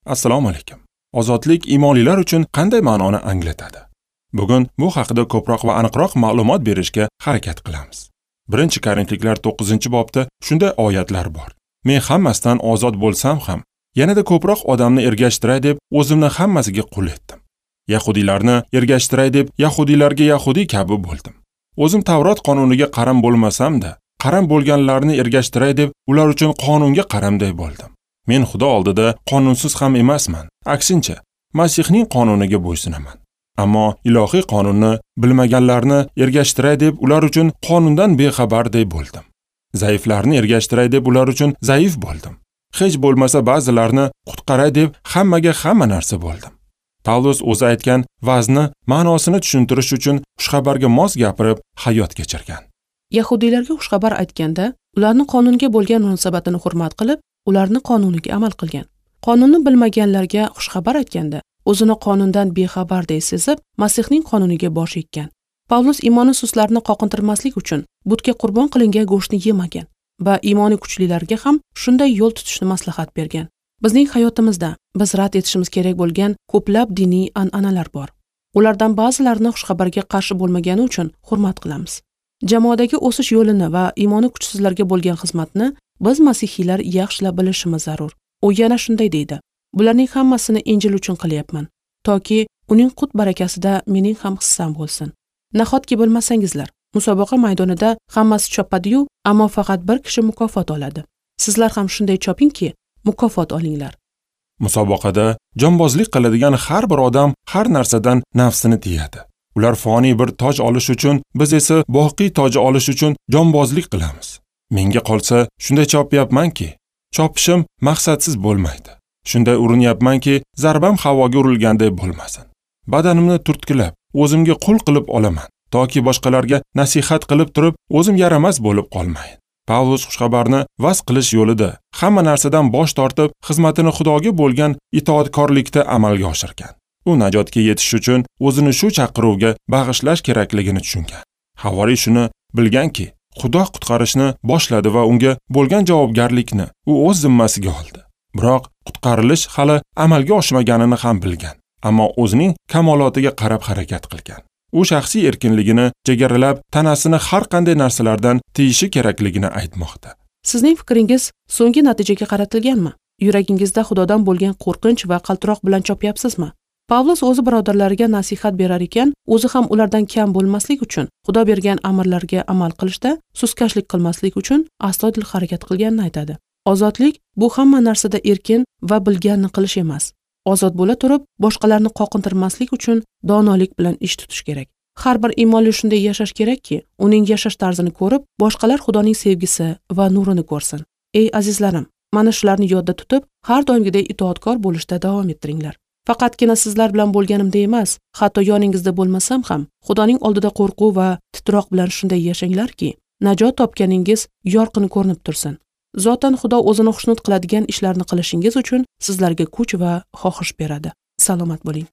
Assalomu alaykum. Ozodlik imonlilar uchun qanday ma'noni anglatadi? Bugun bu haqida ko'proq va aniqroq ma'lumot berishga harakat qilamiz. 1-Korinfliklar 9-bobda shunday oyatlar bor. Men hammasidan ozod bo'lsam ham, yanada ko'proq odamni ergashtiray deb o'zimni hammasiga qul etdim. Yahudiylarni ergashtiray deb yahudiylarga yahudiy kabi bo'ldim. O'zim Tavrot qonuniga qaram bo'lmasam-da, qaram bo'lganlarni ergashtiray deb ular uchun qonunga qaramday bo'ldim. Men Xudo oldida qonunsiz ham emasman. Aksincha, Masihning qonuniga bo'ysunaman. Ammo ilohiy qonunni bilmaganlarni ergashtiray deb ular uchun qonundan bexabarday bo'ldim. Zaiflarni ergashtiray deb ular uchun zaif bo'ldim. Hech bo'lmasa ba'zilarni qutqaray deb hammaga hamma narsa bo'ldim. Pavlus o'zi aytgan vazni ma'nosini tushuntirish uchun xushxabarga mos gapirib hayot kechirgan. Yahudiylarga xushxabar aytganda, ularni qonunga bo'lgan munosabatini hurmat qilib, ularni qonuniga amal qilgan. Qonunni bilmaganlarga xushxabar aytganda, o'zini qonundan bexabarday sezib, Masihning qonuniga bosh eggan. Pavlus iymoni suslarni qoqintirmaslik uchun butga qurbon qilingan go'shtni yemagan va iymoni kuchlilarga ham shunday yo'l tutishni maslahat bergan. Bizning hayotimizda biz rad etishimiz kerak bo'lgan ko'plab diniy an'analar bor. Ulardan ba'zilarini xushxabarga qarshi bo'lmagani uchun hurmat qilamiz. Jamoadagi o'sish yo'lini va iymoni kuchsizlarga bo'lgan xizmatni biz masihiylar yaxshilab bilishimiz zarur. U yana shunday deydi: bularning hammasini Injil uchun qilyapman, toki uning qut barakasida mening ham hissam bo'lsin. Nahotki bilmasangizlar, musobaqa maydonida hammasi chopadi-yu, ammo faqat bir kishi mukofot oladi. Sizlar ham shunday chopingki, mukofot olinglar. Musobaqada jonbozlik qiladigan har bir odam har narsadan nafsini tiyadi. Ular foniy bir toj olish uchun, biz esa boqiy toj olish uchun jonbozlik qilamiz. Menga qolsa shunday chopyapmanki, chopishim maqsadsiz bo'lmaydi. Shunday urinyapmanki, zarbam havoga urilganday bo'lmasin. Badanimni turtkilab, o'zimga qul qilib olaman, toki boshqalarga nasihat qilib turib, o'zim yaramas bo'lib qolmayin. Pavlus xushxabarni vaz qilish yo'lida hamma narsadan bosh tortib, xizmatini Xudoga bo'lgan itoatkorlikda amalga oshirgan. U najotga yetish uchun o'zini shu chaqiruvga bag'ishlash kerakligini tushungan. Havoriy shuni bilganki, Xudo qutqarishni boshladi va unga bo'lgan javobgarlikni u o'z zimmasiga oldi. Biroq qutqarilish hali amalga oshmaganini ham bilgan, ammo o'zining kamolotiga qarab harakat qilgan. U shaxsiy erkinligini chegaralab, tanasini har qanday narsalardan tiyishi kerakligini aytmoqda. Sizning fikringiz so'nggi natijaga qaratilganmi? Yuragingizda Xudodan bo'lgan qo'rqinch va qaltiroq bilan chopyapsizmi? Pavlus o'zi birodarlariga nasihat berar ekan, o'zi ham ulardan kam bo'lmaslik uchun Xudo bergan amrlarga amal qilishda suskashlik qilmaslik uchun astoydil harakat qilganini aytadi. Ozodlik bu hamma narsada erkin va bilganini qilish emas. Ozod bo'la turib, boshqalarni qoqintirmaslik uchun donolik bilan ish tutish kerak. Har bir iymonli shunday yashash kerakki, uning yashash tarzini ko'rib, boshqalar Xudoning sevgisi va nurini ko'rsin. Ey azizlarim, mana shularni yodda tutib, har doimgidek itoatkor bo'lishda davom ettiringlar. Faqatgina sizlar bilan bo'lganimda emas, hatto yoningizda bo'lmasam ham, Xudoning oldida qo'rquv va titroq bilan shunday yashanglarki, najot topganingiz yorqin ko'rinib tursin. Zotan Xudo o'zini xushnud qiladigan ishlarni qilishingiz uchun sizlarga kuch va xohish beradi. Salomat bo'ling.